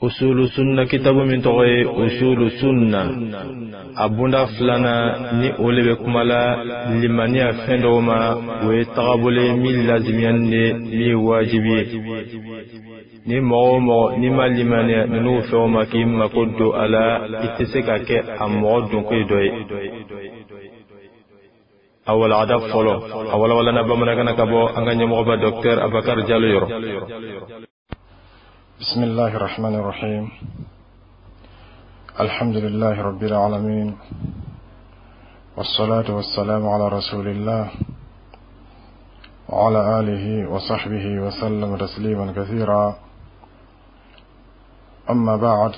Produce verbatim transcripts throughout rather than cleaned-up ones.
Usulu sunna kitabu min tɔgɔ ye Usulu sunna, a bunda filanan ni o le bɛ kuma la limaniya fɛn dɔw ma, o ye tagabolo ye min lazimiyani de, min ye wajibi ye. Ni mɔgɔ o mɔgɔ n'i ma limaniya ninnu fɛnw ma k'i mako don a la, i tɛ se ka kɛ a mɔgɔ donko ye dɔ ye. A walagada fɔlɔ, a walawalana bamanankan na ka bɔ an ka ɲɛmɔgɔba Docteur Abakar Jalo yɔrɔ. بسم الله الرحمن الرحيم. الحمد لله رب العالمين، والصلاة والسلام على رسول الله وعلى آله وصحبه وسلم تسليما كثيرا. أما بعد،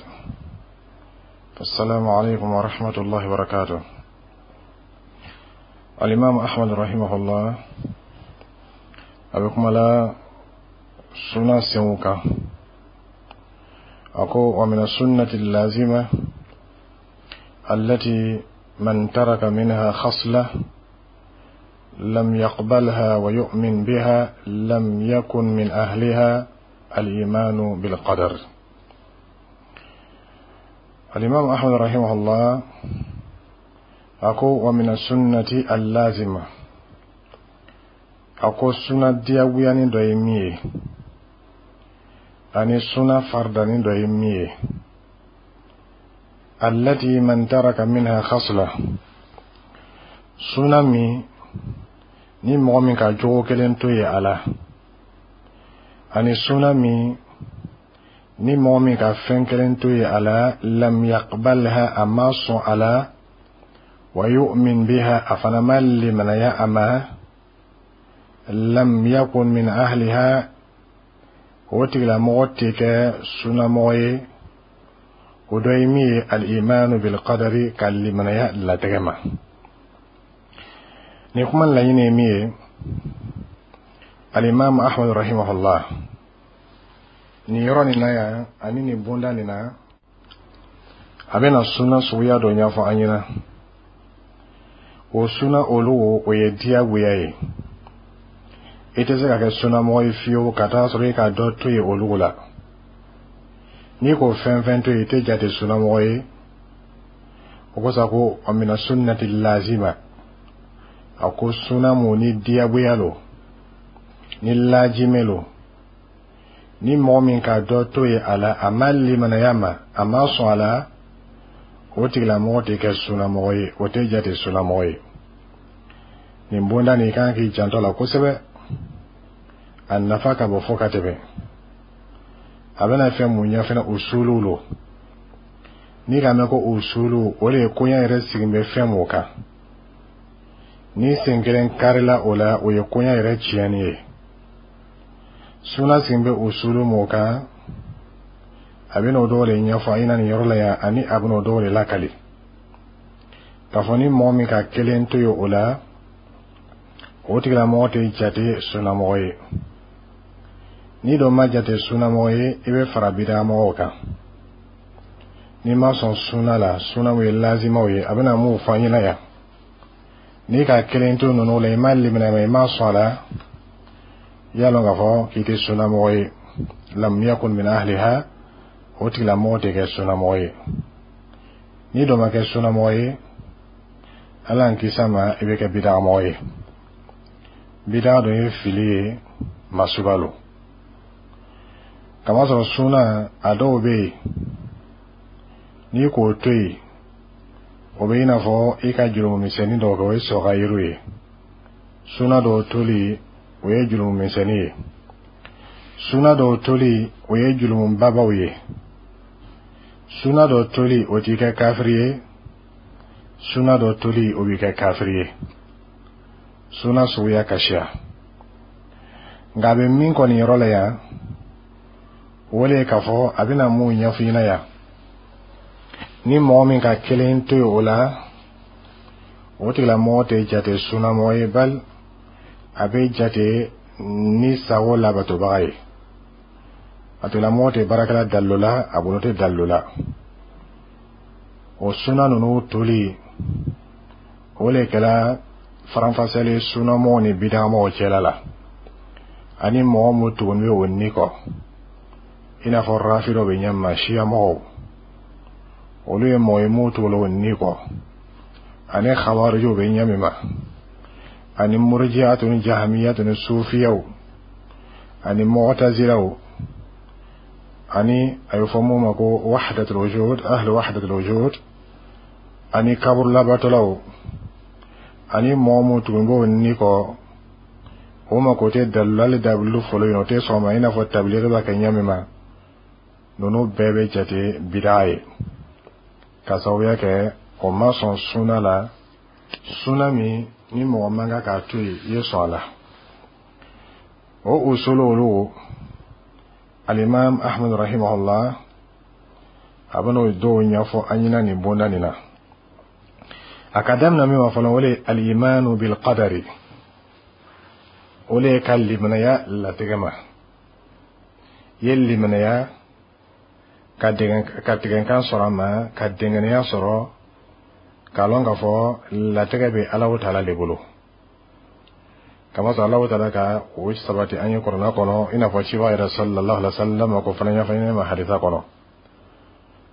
فالسلام عليكم ورحمة الله وبركاته. الإمام أحمد رحمه الله أبكم لا سنة سنوكا أقول: ومن السنة اللازمة التي من ترك منها خصلة لم يقبلها ويؤمن بها لم يكن من أهلها الإيمان بالقدر. الإمام أحمد رحمه الله أقول: ومن السنة اللازمة، أقول سنة diyagoyanin dɔ ye min ye ani suna fardanin dɔ ye min ye, التي من ترك منها خصلة, suna min ni mɔgɔ min ka jogo kelen to ye a la, ani suna min ni mɔgɔ min ka fɛn kelen to ye a la, لم يقبلها, a ma sɔn a la, ويؤمن بها, a fana ma limanaya a ma, لم يكن من أهلها, o tigilamɔgɔ tɛ kɛ sunamɔgɔ ye. O dɔ ye min ye, الإيمان بالقدر, ka limanaya latigɛ ma. Nin kuma laɲini ye min ye, Alimami Ahmad rahimahullah, nin yɔrɔ nin na yan ani nin bonda nin na, a bɛna suna suguya dɔ ɲɛfɔ an ɲɛna. O suna olu, o ye diyagoya ye. I tɛ se ka kɛ sunamɔgɔ ye fiyewu ka taa sɔrɔ i ka dɔ to yen olu la. N'i ko fɛn fɛn to yen, i tɛ jate sunamɔgɔ ye. O kosɔn ko ومن السنة اللازمة, a ko suna mun ni diyagoya lo, ni lajimɛ lo, ni mɔgɔ min ka dɔ to yen a la, a ma limanaya ma, a ma sɔn a la, o tigilamɔgɔ tɛ kɛ sunamɔgɔ ye, o tɛ jate sunamɔgɔ ye. Nin bonda nin, i kan k'i janto a la kosɛbɛ. A nafa ka bɔ fo ka tɛmɛ. A bɛna fɛn mun ɲɛ fɛnɛ, usuluw lo. N'i ka mɛn ko usulu, o de ye koɲɛ yɛrɛ sigin bɛ fɛn mun kan. Ni sen kelen karila o la, o ye koɲɛ yɛrɛ tiɲɛni ye. Suna sigin bɛ usulu mun kan, a bɛna o dɔw de ɲɛfɔ a ɲɛna nin yɔrɔ la yan, ani a bɛna o dɔw de lakali k'a fɔ ni mɔgɔ min ka kelen to yen o la, o tigilamɔgɔ tɛ jate sunamɔgɔ ye. N'i dɔ ma jate sunamɔgɔ ye, i bɛ fara bidamɔgɔw kan. N'i ma sɔn suna la, sunaw ye lazimaw ye, a bɛna mun fɔ an ɲɛna yan, n'i ka kelen to ninnu la, i ma limaniya ma, i ma sɔn a la, i y'a lɔn k'a fɔ k'i tɛ sunamɔgɔ ye. لم يكن من أهلها, o tigilamɔgɔ tɛ kɛ sunamɔgɔ ye. N'i dɔ ma kɛ sunamɔgɔ ye, Ala y'an kisi a ma, i bɛ kɛ bidamɔgɔ ye. Bida dɔ ye fili ye, masuba lo. Kamasɔrɔ suna a dɔw bɛ yen, n'i k'o to yen, o bɛ i n'a fɔ i ka jurumu misɛnnin dɔw kɛ, o ye sɔgayiru ye. Suna dɔw toli, o ye jurumu misɛnnin ye. Suna dɔw toli, o ye jurumu babaw ye. Suna dɔ toli, o t'i kɛ kafiri ye. Suna dɔ toli, o b'i kɛ kafiri ye. Suna suguya ka siya, nka a bɛ min kɔni yɔrɔ la yan, o de ye k'a fɔ a bɛna mun ɲɛfɔ i ɲɛna yan, ni mɔgɔ min ka kelen to yen o la, o tigilamɔgɔ tɛ jate sunamɔgɔ ye, bali a bɛ jate ni sago labatobaga ye. A tigilamɔgɔ tɛ baarakɛla dalilu la, a bolo tɛ dalilu la. O suna ninnu toli, o de kɛra faranfasiyali sunamɔgɔw ni bidamɔgɔw cɛla la, ani mɔgɔ mun tugunnen bɛ o ni kɔ. I n'a fɔ rafidɔ bɛ ɲɛ ma, siya mɔgɔw, olu ye mɔgɔ ye m'u tugula ni kɔ, ani khawarijiw bɛ ɲɛ min ma, ani murjiyatu ni jahamiyatu ni sufiyaw ani mu'tazilaw, ani a bɛ fɔ mun ma ko wahdatul wujud, ahlu wahdatul wujud, ani kaburu labatɔlaw, ani mɔgɔ mun tugun b'o ni kɔ, o ma ko tɛ dalilali dabilu fɔlɔ yen, o tɛ sɔn ma, i n'a fɔ tabiliki b'a kɛ ɲɛ min ma. Ninnu bɛɛ bɛ jate bidaa ye, ka sababuya kɛ o ma sɔn suna la, suna min ni mɔgɔ man kan k'a to yen, i ye sɔn a la. O usulu olu, alimam Ahmad rahimahullah a bɛn'o dɔw ɲɛfɔ an ɲɛna nin bonda nin na. A ka daminɛ min ma fɔlɔ, o de ye alimanu bil qadari, o de ye ka limanaya latigɛ ma. I ye limanaya ka ka tigɛnkan sɔrɔ a ma, ka dɛngɛnɛya sɔrɔ k'a lɔn k'a fɔ latigɛ bɛ Alahu taala de bolo, kamasɔrɔ Alahu taala ka o sabati an ye kuranɛ kɔnɔ, i n'a fɔ ciba yɛrɛ sallallahu alaihi wa sallam ko fana ɲɛfɔ ɲɛna ma hadisa kɔnɔ.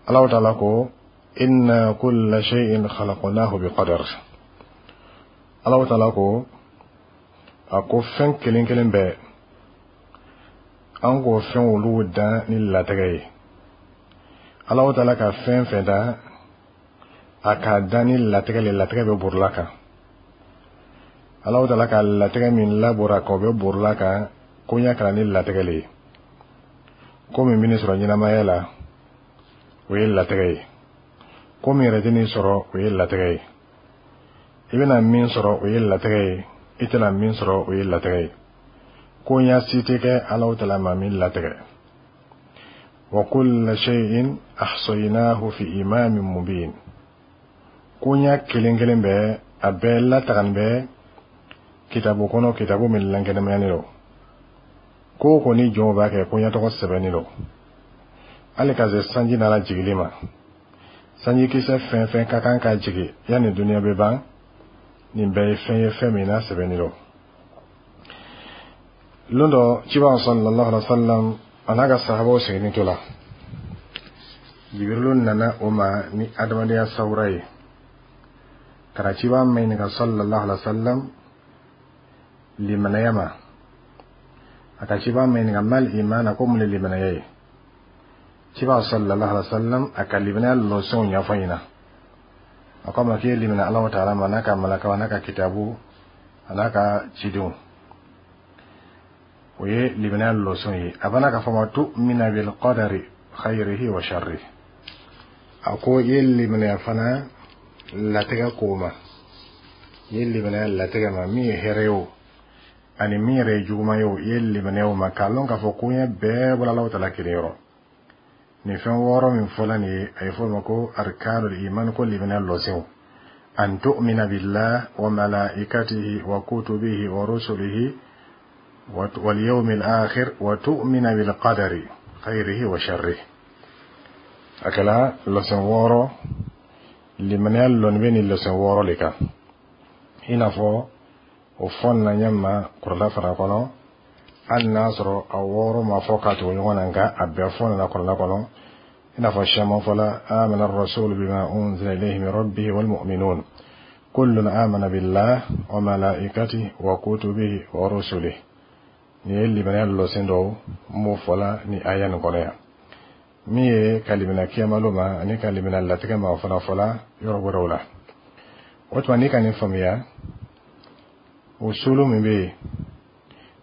Alahu taala ko: inna kulla shay'in khalaqnahu bi qadar. Alahu taala ko, a ko fɛn kelen kelen bɛɛ, an k'o fɛn olu dan ni latigɛ ye. Alahu taala ka fɛn fɛn dan, a k'a dan ni latigɛ le, latigɛ bɛ borila kan. Alahu taala ka latigɛ min labora kan, o bɛ borila kan ko ɲɛ kɛra ni latigɛ le ye. Ko min bɛ nin sɔrɔ ɲɛnamaya la, o ye latigɛ ye. Ko min yɛrɛ tɛ nin sɔrɔ, o ye latigɛ ye. I bɛna min sɔrɔ, o ye latigɛ ye. I tɛna min sɔrɔ, o ye latigɛ ye. Ko ɲɛ si tɛ kɛ Alahu taala ma min latigɛ. Wa kulla shay'in ahsaynahu fi imamin mubin. Ko ɲɛ kelen kelen bɛɛ, a bɛɛ latagani bɛ kitabu kɔnɔ, kitabu min lankɛnɛmayalen don. Ko o ko ni jɔnw b'a kɛ, ko ɲɛ tɔgɔ sɛbɛnni don, hali ka se sanji nana jigili ma. Sanjikisɛ fɛn fɛn ka kan ka jigin yanni duniya bɛ ban, nin bɛɛ ye fɛn ye, fɛn min n'a sɛbɛnni don. Lon dɔ, ciba sallallahu alaihi wa sallam a n'a ka sahabaw sigilen to la, Jibirilu nana o ma ni adamadenya sawura ye ka na ciba maɲininka sallallahu alaihi wa sallam limanaya ma. A ka ciba maɲininka: mal imana? Ko mun ye limanaya ye? Ciba sallallahu alaihi wa sallam a ka limanaya lɔsɔnw ɲɛfɔ ɲɛna. A ko a ma k'i ye limana Alahu taala ma, n'a ka malakaw, n'a ka kitabu, a n'a ka cidenw, o ye limanaya lɔsɔn ye. A bana k'a fɔ ma: tu'mina bil qadari khayrihi wa sharrihi. A ko i ye limanaya fana latigɛ ko ma, i ye limanaya latigɛ ma, min ye hɛrɛ ye o, ani min yɛrɛ ye juguman ye o, i ye limanaya o ma, k'a lɔn k'a fɔ koɲɛ bɛɛ bɔra Alahu taala kelen yɔrɔ. Nin fɛn wɔɔrɔ min fɔla nin ye, a ye fɔ o ma ko arkanul iman, ko limanaya lɔsenw: an tu'mina billah wa malaikatihi wa kutubihi wa rusulihi wal yawmil akhir wa tu'mina bil qadari khayrihi wa sharrihi. A kɛla lɔsen wɔɔrɔ. Limanaya lɔnni bɛ nin lɔsen wɔɔrɔ de kan, i n'a fɔ o fɔ nana ɲɛ ma kuranɛ fana kɔnɔ, hali n'a sɔrɔ a wɔɔrɔ ma fɔ k'a tugu ɲɔgɔn na, nka a bɛɛ fɔ nana kuranɛ kɔnɔ, i n'a fɔ siyaman fɔla: amana rasulu bima unzila ilayhi min rabbihi wal mu'minun kullun amana billah wa malaikatihi wa kutubihi wa rusulihi. Nin ye limanaya lɔsen dɔw m'o fɔla ni aya nin kɔnɔ yan. Min ye ka limana kiyamalo ma ani ka limana latigɛ ma, o fana fɔla yɔrɔ wɛrɛw la. O tuma, n'i ka nin faamuya, usulu min bɛ yen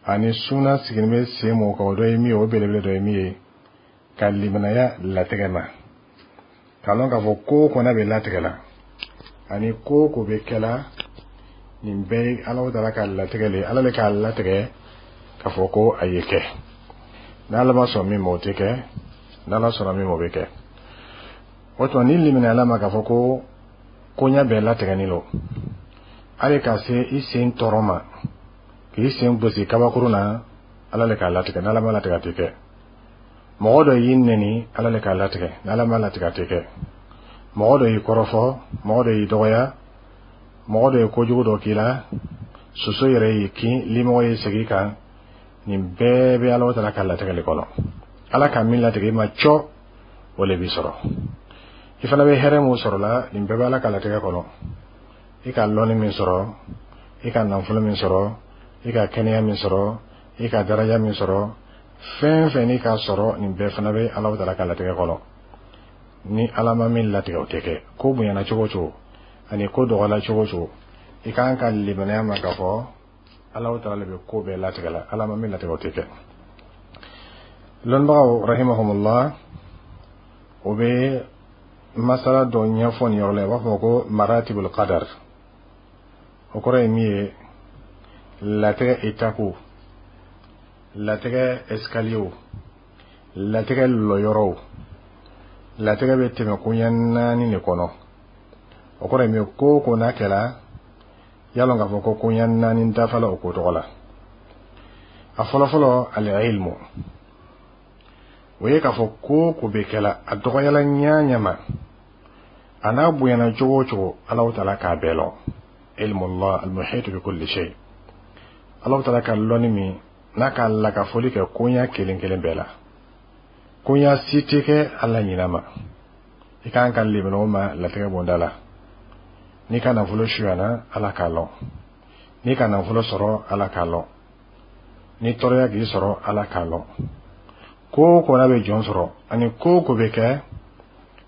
ani suna sigilen bɛ sen mun kan, o dɔ ye min ye, o belebele dɔ ye min ye ka limanaya latigɛ ma, k'a lɔn k'a fɔ ko o ko n'a bɛ latigɛ la ani ko o ko bɛ kɛ la, nin bɛɛ ye Alahu taala ka latigɛ le ye. Ala le k'a latigɛ k'a fɔ ko a ye kɛ. N'Ala ma sɔn min ma, o tɛ kɛ. N'Ala sɔnna min ma, o bɛ kɛ. O tuma, ni limaniyala ma k'a fɔ ko koɲɛ bɛɛ latigɛni don, hali ka se i sen tɔɔrɔ ma, k'i sen gosi kabakuru na, Ala le k'a latigɛ. N'Ala ma latigɛ, a tɛ kɛ. Mɔgɔ dɔ y'i nɛni, Ala le k'a latigɛ. N'Ala ma latigɛ, a tɛ kɛ. Mɔgɔ dɔ y'i kɔrɔfɔ, mɔgɔ dɔ y'i dɔgɔya, mɔgɔ dɔ ye kojugu dɔ k'i la, soso yɛrɛ y'i kin, limɔgɔ y'i segin kan, nin bɛɛ bɛ Ala taala ka latigɛ le kɔnɔ. Ala ka min latigɛ i ma cɔ, o le b'i sɔrɔ. I fana bɛ hɛrɛ mun sɔrɔ la, nin bɛɛ bɛ Ala ka latigɛ kɔnɔ. I ka lɔnni min sɔrɔ, i ka nafolo min sɔrɔ, i ka kɛnɛya min sɔrɔ, i ka daraja min sɔrɔ, fɛn fɛn n'i ka sɔrɔ, nin bɛɛ fana bɛ Ala taala ka latigɛ kɔnɔ. Ni Ala ma min latigɛ, o tɛ kɛ. Ko bonyana cogo o cogo ani ko dɔgɔla cogo o cogo, i kan ka limaniya ma k'a fɔ Ala taala le bɛ ko bɛɛ latigɛ la. Ala ma min latigɛ, o tɛ kɛ. Lɔnnibagaw rahimahumullah, o bɛ masala dɔ ɲɛfɔ nin yɔrɔ la, u b'a fɔ ko maratibul qadar. O kɔrɔ ye min ye, latigɛ étape, latigɛ escalier, latigɛ lɔyɔrɔw. Latigɛ bɛ tɛmɛ koɲɛ naani de kɔnɔ. O kɔrɔ ye min ye, ko o ko n'a kɛra, yalɔ k'a fɔ ko koɲɛ naani dafala o ko tɔgɔ la. A fɔlɔfɔlɔ, al-ilmu. O ye k'a fɔ ko o ko bɛ kɛla, a dɔgɔyala ɲa ɲa ma, a n'a bonyana cogo o cogo, Alahu taala k'a bɛɛ lɔn. Ilmu Allah al-muhit bi kulli shay. Alahu taala ka lɔnni min n'a ka lakafoli kɛ koɲɛ kelen kelen bɛɛ la, koɲɛ si tɛ kɛ Ala ɲinɛ ma. I kan ka limaniya o ma latigɛ bonda la. N'i ka nafolo suyana, Ala k'a lɔn. N'i ka nafolo sɔrɔ, Ala k'a lɔn. Ni tɔɔrɔya k'i sɔrɔ, Ala k'a lɔn. Ko o ko n'a bɛ jɔn sɔrɔ ani ko o ko bɛ kɛ,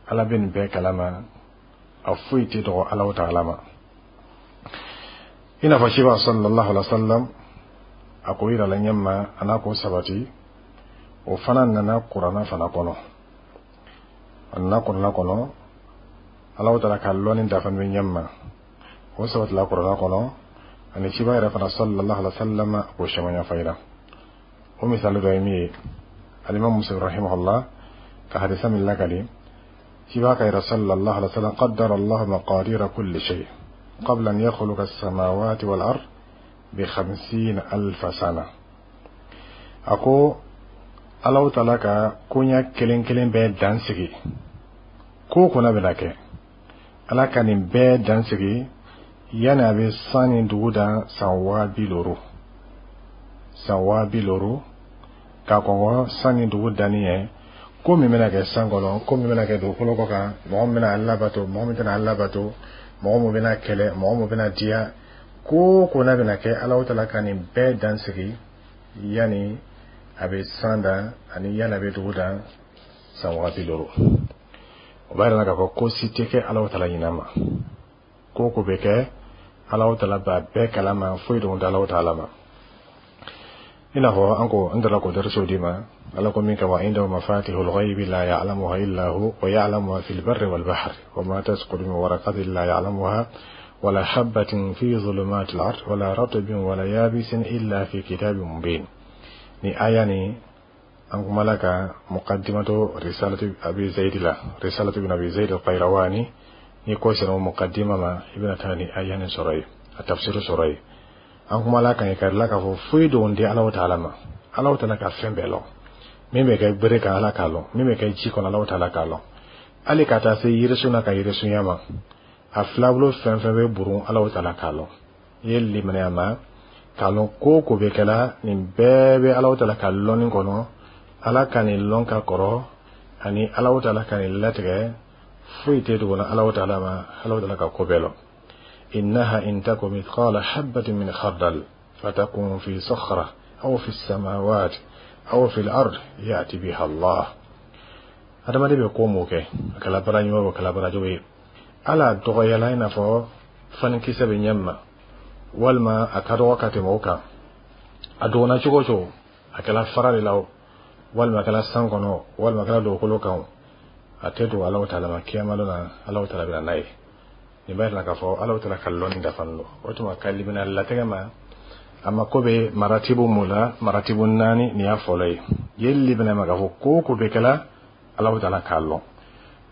Ala bɛ nin bɛɛ kalama. A foyi tɛ dɔgɔ Ala taala ma. I n'a fɔ ciba sallallahu alaihi wa sallam, a ko yirala ɲɛ ma, a n'a ko sabati. O fana nana Kuranna fana kɔnɔ. A nana Kuranna kɔnɔ, Ala taala ka lɔnni dafa bɛ ɲɛ ma, o sabatila Kuranna kɔnɔ. Ani ciba yɛrɛ fana sallallahu alaihi wa sallam k'o caman ɲɛfɔ ɲɛna. O misali dɔ ye min ye, alimam Muslim rahimahullah ka hadisa min lakali, ciba ka yɛrɛ sallallahu alaihi wa sallam: qaddara Allah maqadira kulli shay qabla an yakhluqa as-samawati wal ard bi khamsina alfa sana. A ko Alahu taala ka koɲɛ kelen kelen bɛɛ dan sigi. Ko o ko n'a bɛna kɛ, Ala ka nin bɛɛ dan sigi yanni a bɛ san ni dugu dan san waa bi looro, san waa bi looro k'a kɔngɔ san ni dugu danni ye. Ko min bɛna kɛ san kɔnɔ, ko min bɛna kɛ dugukolo kɔ kan, mɔgɔ min bɛna Ala bato, mɔgɔ min tɛna Ala bato, mɔgɔ min bɛna kɛlɛ, mɔgɔ min bɛna diya, ko o ko n'a bɛna kɛ, Alahu taala ka nin bɛɛ dan sigi yanni a bɛ san dan ani yanni a bɛ dugu dan san waa bi looro. O b'a yira k'a fɔ ko si tɛ kɛ Alahu taala ɲinɛ ma. Ko o ko bɛ kɛ, Alahu taala b'a bɛɛ kalama. Foyi dogo tɛ Alahu taala ma. I n'a fɔ an ko n dara k'o darisow d'i ma, Ala ko min kɛ: wa indahu mafatihul ghaibi la ya'lamuha illa hu wa ya'lamu ma fil barri wal bahri wa ma tasqutu min waraqatin la ya'lamuha wala habatin fi dhulumatil ard wala ratbin wala yabisin illa fi kitabin mubin. Ni aya ni, an kumala ka muqaddimatu risalatu Abi Zaid la, risalatu ibn Abi Zaid al-Qayrawani. Ni ko sera muqaddima ma, i bɛna taa ni aya ni sɔrɔ yen, a tafsiru sɔrɔ yen. An kumala kan kari la k'a fɔ foyi dogon tɛ Alahu taala ma. Alahu taala ka fɛn bɛɛ lɔn. Min bɛ kɛ bere kan, Ala k'a lɔn. Min bɛ kɛ ji kɔnɔ, Alahu taala k'a lɔn. Hali ka taa se yirisun na ka yirisunya ma, a filabolo fɛn fɛn bɛ burun, Alahu taala k'a lɔn. I ye limaniya ma k'a lɔn ko o ko bɛ kɛla, nin bɛɛ bɛ Alahu taala ka lɔnni kɔnɔ. Ala ka nin lɔn ka kɔrɔ ani Alahu taala ka nin latigɛ, foyi tɛ dogo Alahu taala ma. Alahu taala ka ko bɛɛ lɔn. إنها إن تك مثقال حبة من خردل فتكون في صخرة أو في السماوات أو في الأرض يأتي بها الله. Adamaden bɛ ko mun kɛ, a kɛla baara ɲuman o, a kɛla baara jugu ye, ala dɔgɔyala i n'a fɔ fanikisɛ bɛ ɲɛ ma, walima a ka dɔgɔ ka tɛmɛ o kan, a dɔgɔna cogo o cogo, a kɛla fara de la o, walima a kɛla san kɔnɔ, walima a kɛla dugukolo kan o, a tɛ dogo Alahu taala ma. Kiyama don na, Alahu taala bɛ na n'a ye. Nin b'a yira k'a fɔ Alahu taala ka lɔnni dafalen don. O tuma, ka limaniya latigɛ ma, a mako bɛ maratibu mun la? Maratibu naani. Nin y'a fɔlɔ ye. Ye limaniya ma k'a fɔ ko o ko bɛ kɛla, Alahu taala k'a lɔn.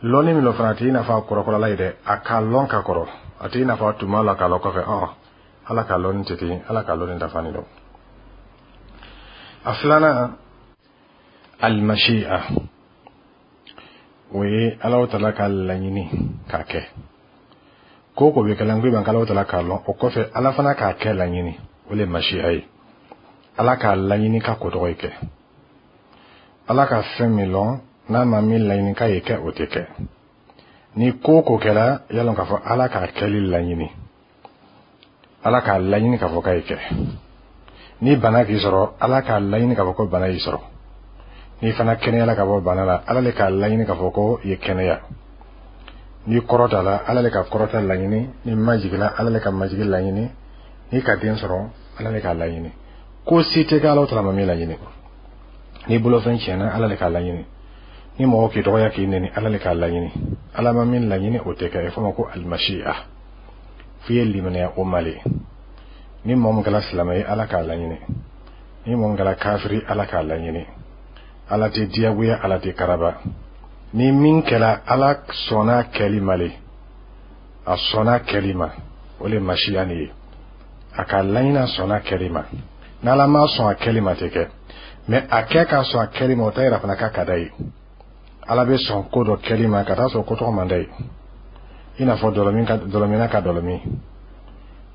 Lɔnni min fana, a tɛ i n'a fɔ a kɔrɔkɔrɔla ye dɛ. A k'a lɔn ka kɔrɔ, a tɛ i n'a fɔ a tun b'a la k'a lɔn kɔfɛ. Ɔn, Ala ka lɔnni tɛ ten. Ala ka lɔnni dafalen don. A filanan, almashi'a. O ye Alahu taala ka laɲini k'a kɛ. Ko o ko bɛ kɛla, n ko i ma k'Alahu taala k'a lɔn, o kɔfɛ Ala fana k'a kɛ laɲini, o le ye mashi'a ye. Ala k'a laɲini ka ko tɔgɔ ye kɛ. Ala ka fɛn min lɔn, n'a ma min laɲini k'a ye kɛ, o tɛ kɛ. Ni ko o ko kɛra, y'a lɔn k'a fɔ Ala k'a kɛli laɲini, Ala k'a laɲini k'a fɔ k'a ye kɛ. Ni bana k'i sɔrɔ, Ala k'a laɲini k'a fɔ ko bana y'i sɔrɔ. N'i fana kɛnɛyala ka bɔ bana la, Ala le k'a laɲini k'a fɔ ko i ye kɛnɛya. N'i kɔrɔtala, Ala le ka kɔrɔta laɲini. N'i majigila, Ala le ka majigi laɲini. N'i ka den sɔrɔ, Ala le k'a laɲini. Ko si tɛ kɛ Ala taala ma min laɲini. N'i bolofɛn tiɲɛna, Ala le k'a laɲini. Ni mɔgɔ k'i dɔgɔya, k'i neni, Ala le k'a laɲini. Ala ma min laɲini, o tɛ kɛ. A fɔ ma ko المشيئة. F'i ye limaniya o ma le. Ni mɔgɔ min kɛra silamɛ ye, Ala k'a laɲini. Ni mɔgɔ min kɛra kafiri, Ala k'a laɲini. Ala tɛ diyagoya, Ala tɛ karaba. Ni min kɛra, Ala sɔnna kɛli ma le, a sɔnna kɛli ma, o le مشيئة nin ye. A ka laɲini, a sɔnna kɛli ma. N'Ala ma sɔn a kɛli ma, tɛ kɛ. Mɛ a kɛ k'a sɔn a kɛli ma, o t'a yira fana k'a ka d'a ye. Ala bɛ sɔn ko dɔ kɛli ma ka taa sɔrɔ ko tɔgɔ man d'a ye, i n'a fɔ dɔlɔmin ka dɔlɔminna ka dɔlɔmin,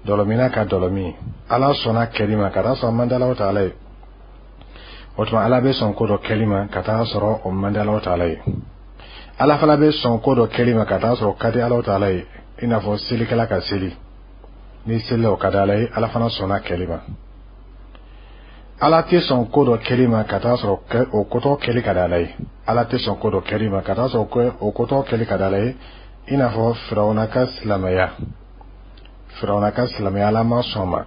dɔlɔminna ka dɔlɔmin, Ala sɔnna kɛli ma ka taa sɔrɔ a man di Ala taala ye. O tuma, Ala bɛ sɔn ko dɔ kɛli ma ka taa sɔrɔ o man di Ala taala ye. Ala fana bɛ sɔn ko dɔ kɛli ma ka taa sɔrɔ o ka di Ala taala ye, i n'a fɔ selikɛla ka seli. Ni selila, o ka di Ala ye, Ala fana sɔnna kɛli ma. Ala tɛ sɔn ko dɔ kɛli ma ka taa sɔrɔ o kotɔ kɛli ka di Ala ye. Ala tɛ sɔn ko dɔ kɛli ma ka taa sɔrɔ o kotɔ kɛli ka di Ala ye, i n'a fɔ Firawuna ka silamɛya. Firawuna ka silamɛya, Ala ma sɔn ma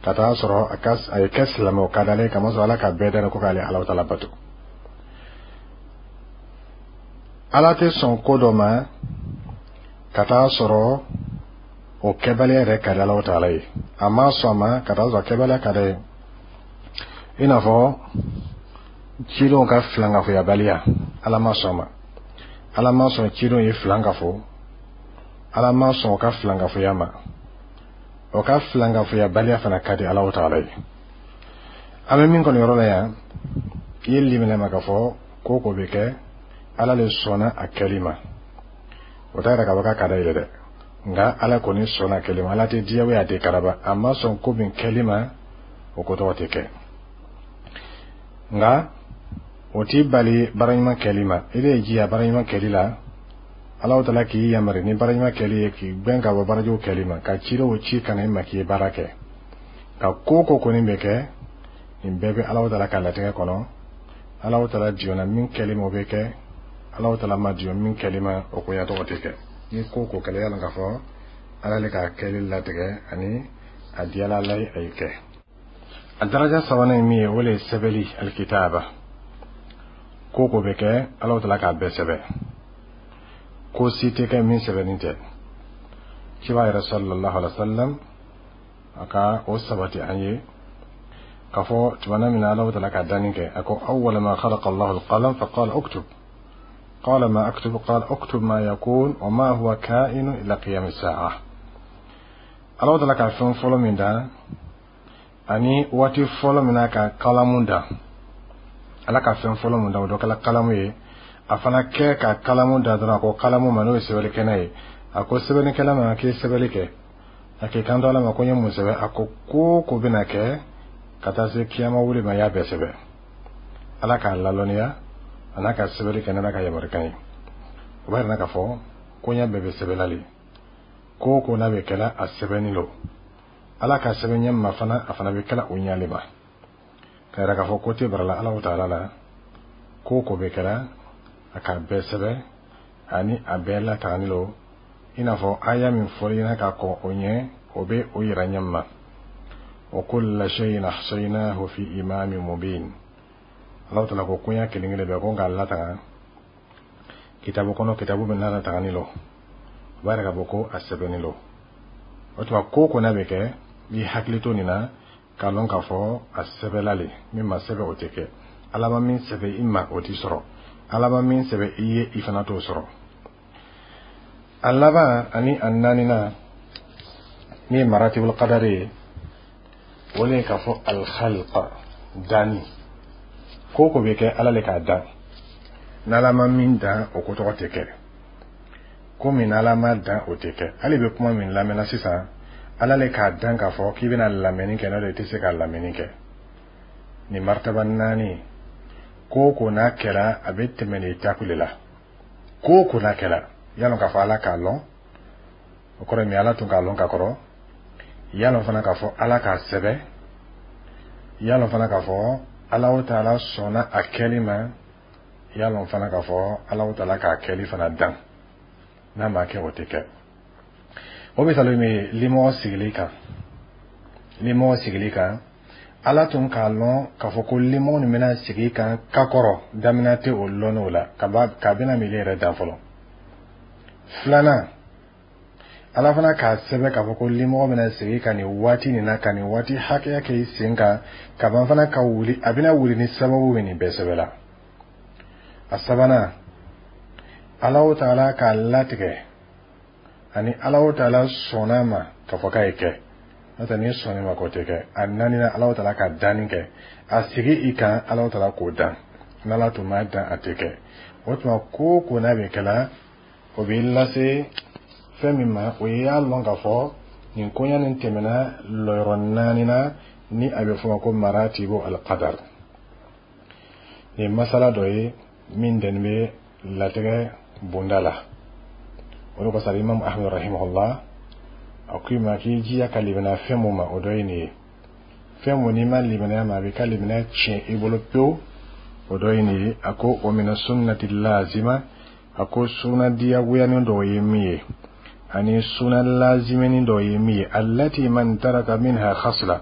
ka taa sɔrɔ a ka a ye kɛ silamɛ, o ka di Ala ye, kamasɔrɔ Ala ka bɛɛ da ko k'ale Ala taala bato. Ala tɛ sɔn ko dɔ ma ka taa sɔrɔ o kɛbaliya yɛrɛ ka di Ala taala ye. A ma sɔn a ma ka taa sɔrɔ kɛbaliya ka d'a ye, i n'a fɔ cidenw ka filankafoyabaliya. Ala ma sɔn a ma. Ala ma sɔn cidenw ye filankafo. Ala ma sɔn o ka filankafoya ma. O ka filankafoyabaliya fana ka di Ala taala ye. An bɛ min kɔni yɔrɔ la yan, i ye limaniya ma k'a fɔ ko ko bɛ kɛ, Ala le sɔnna a kɛli ma. O t'a yira k'a fɔ k'a ka d'a ye dɛ, nka Ala kɔni sɔnna a kɛli ma. Ala tɛ diyagoya, a tɛ karaba. A ma sɔn ko min kɛli ma, o ko tɔgɔ tɛ kɛ. Nka o t'i bali baara ɲuman kɛli ma. I bɛ jija baara ɲuman kɛli la. Ala taala k'i yamari ni baara ɲuman kɛli ye, k'i gbɛn ka bɔ baarajugu kɛli ma, ka cidenw ci ka na i ma k'i ye baara kɛ. Ka ko ko kɔni bɛ kɛ, nin bɛɛ bɛ Ala taala ka latigɛ kɔnɔ. Ala taala diyɔnna min kɛli ma, o bɛ kɛ. Ala taala ma diyɔn min kɛli ma, o koɲa tɔgɔ tɛ kɛ. Ni ko ko kɛlɛ, yala k'a fɔ Ala le ka kɛli latigɛ ani a diyala Ala ye, a ye kɛ. A daraja sabanan ye min ye, o le ye sɛbɛli, الكتابة. Ko ko bɛ kɛ, Ala taala k'a bɛɛ sɛbɛ. Ko si tɛ kɛ min sɛbɛnni tɛ. Ciba yɛrɛ صلى الله عليه وسلم, a ka o sabati an ye k'a fɔ tumana min na Ala taala ka danni kɛ, a ko: أول ما خلق الله القلم فقال اكتب قال ما أكتب قال اكتب ما يكون وما هو كائن إلى قيام الساعة. Ala taala ka fɛn fɔlɔ min dan, ani waati fɔlɔ min na ka kalamu dan, Ala ka fɛn fɔlɔ min dan, o dɔ kɛla kalamu ye. A fana kɛ ka kalamu da dɔrɔn, a ko kalamu ma, n'o ye sɛbɛnnikɛla ye, a ko sɛbɛnnikɛla ma k'i sɛbɛnni kɛ. A k'i kanto Ala ma ko n ye mun sɛbɛn? A ko ko ko bɛna kɛ ka taa se kiyama wuli ma, y'a bɛɛ sɛbɛn. Ala k'a lalɔnniya a n'a ka sɛbɛnni kɛ n'Ala ka yamarukan ye. O b'a yira k'a fɔ koɲɛ bɛɛ bɛ sɛbɛnla le. Ko o ko n'a bɛ kɛla, a sɛbɛnni lo. Ala ka sɛbɛn ɲɛ ma fana, a fana bɛ kɛla o ɲɛ le ma, ka yira k'a fɔ ko tɛ barala Ala taala la. Ko o ko bɛ kɛla, a k'a bɛɛ sɛbɛn ani a bɛɛ latagani lo, i n'a fɔ aya min fɔra ɲɛna ka kɔn o ɲɛ, o bɛ o yira ɲɛ ma: وكل شيء أحصيناه في إمام مبين. Ala taala ko koɲa kelen kelen bɛɛ, ko n k'a lataga kitabu kɔnɔ, kitabu min n'a latagani lo. O b'a yira k'a fɔ ko a sɛbɛnni lo. O tuma, ko ko n'a bɛ kɛ, i hakili to nin na k'a lɔn k'a fɔ a sɛbɛnla le. Min ma sɛbɛn, o tɛ kɛ. Ala ma min sɛbɛn i ma, o t'i sɔrɔ. Ala ma min sɛbɛn i ye, i fana t'o sɔrɔ. A laban ani a naaninan min ye مراتب القدر ye, o le ye k'a fɔ الخلق, danni. Ko ko bɛ kɛ, Ala le k'a dan. N'Ala ma min dan, o ko tɔgɔ tɛ kɛ. Ko min n'Ala ma dan, o tɛ kɛ. Hali bɛ kuma min lamɛnna sisan, Ala le k'a dan k'a fɔ k'i bɛna lamɛnni kɛ, n'o tɛ, i tɛ se ka lamɛnni kɛ. Nin martaba naani Ko o ko n'a kɛra, a bɛ tɛmɛ nin étape le la. Ko o ko n'a kɛra, y'a lɔn k'a fɔ Ala k'a lɔn, o kɔrɔ ye min? Ala tun k'a lɔn ka kɔrɔ. Y'a lɔn fana k'a fɔ Ala k'a sɛbɛ. Y'a lɔn fana k'a fɔ Alahu Taala sɔnna a kɛli ma. Y'a lɔn fana k'a fɔ Alahu Taala k'a kɛli fana dan. N'a ma kɛ, o tɛ kɛ. O misali min ye limɔgɔ sigili kan, limɔgɔ sigili kan, Ala tun k'a lɔn k'a fɔ ko limɔgɔ nin bɛna sigi kan ka kɔrɔ. Daminɛ tɛ o lɔnni o la k'a bɛna mili yɛrɛ dan fɔlɔ. Filanan, Ala fana k'a sɛbɛn k'a fɔ ko limɔgɔ bɛna sigi ka nin waati nin na, ka nin waati hakɛya kɛ i sen kan, ka ban fana ka wuli. A bɛna wuli ni sababu ye, nin bɛɛ sɛbɛnla. A sabanan, Alahu Taala k'a latigɛ ani Alahu Taala sɔnna ma k'a fɔ k'a ye kɛ. N'o tɛ, n'i sɔnna ma, k'o tɛ kɛ. A naaninan, Alahu Taala ka danni kɛ, a sigi i kan, Alahu Taala k'o dan. N'Ala tun m'a dan, a tɛ kɛ. O tuma, ko o ko n'a bɛ kɛla, o b'i lase fɛn min ma, o ye y'a lɔn k'a fɔ nin koɲa nin tɛmɛna lɔyɔrɔ naani na, ni a bɛ fɔ o ma ko maratibu alqadar. Nin masala dɔ ye min dɛni bɛ latigɛ bonda la. O de kosɔn, Imam Ahmed rahimahullah a ko i ma k'i jija ka limaniya fɛn mun ma, o dɔ ye nin ye. Fɛn mun n'i ma limaniya ma, a b'i ka limaniya tiɲɛ i bolo pewu, o dɔ ye nin ye. A ko o mina sunnati lazima, a ko suna diyagoyanin dɔ ye min ye, ani suna laziminin dɔ ye min ye, allati man taraka minha khasla,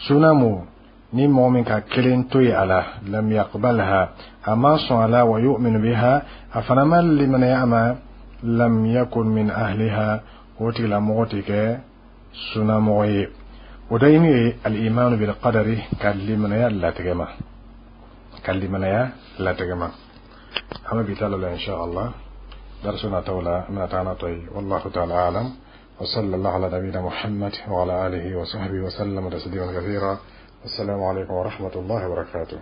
suna mu ni mɔgɔ min ka kelen to yen a la, lam yaqbalha, a ma sɔn a la, wa yu'minu biha, a fana ma limaniya a ma, lam yakun min ahliha, o tigilamɔgɔ tɛ kɛ sunamɔgɔ ye. O dɔ ye min ye, al-imanu bil qadari, ka limaniya latigɛ ma, ka limaniya latigɛ ma. An bɛ bi ta la, insha Allah, darisu nataw la an bɛna taa n'a tɔ ye. Wallahu ta'ala alam wa sallallahu ala nabiyina Muhammad wa ala alihi wa sahbihi wa sallam taslima kathira. Assalamu alaikum wa rahmatullahi wa barakatuh.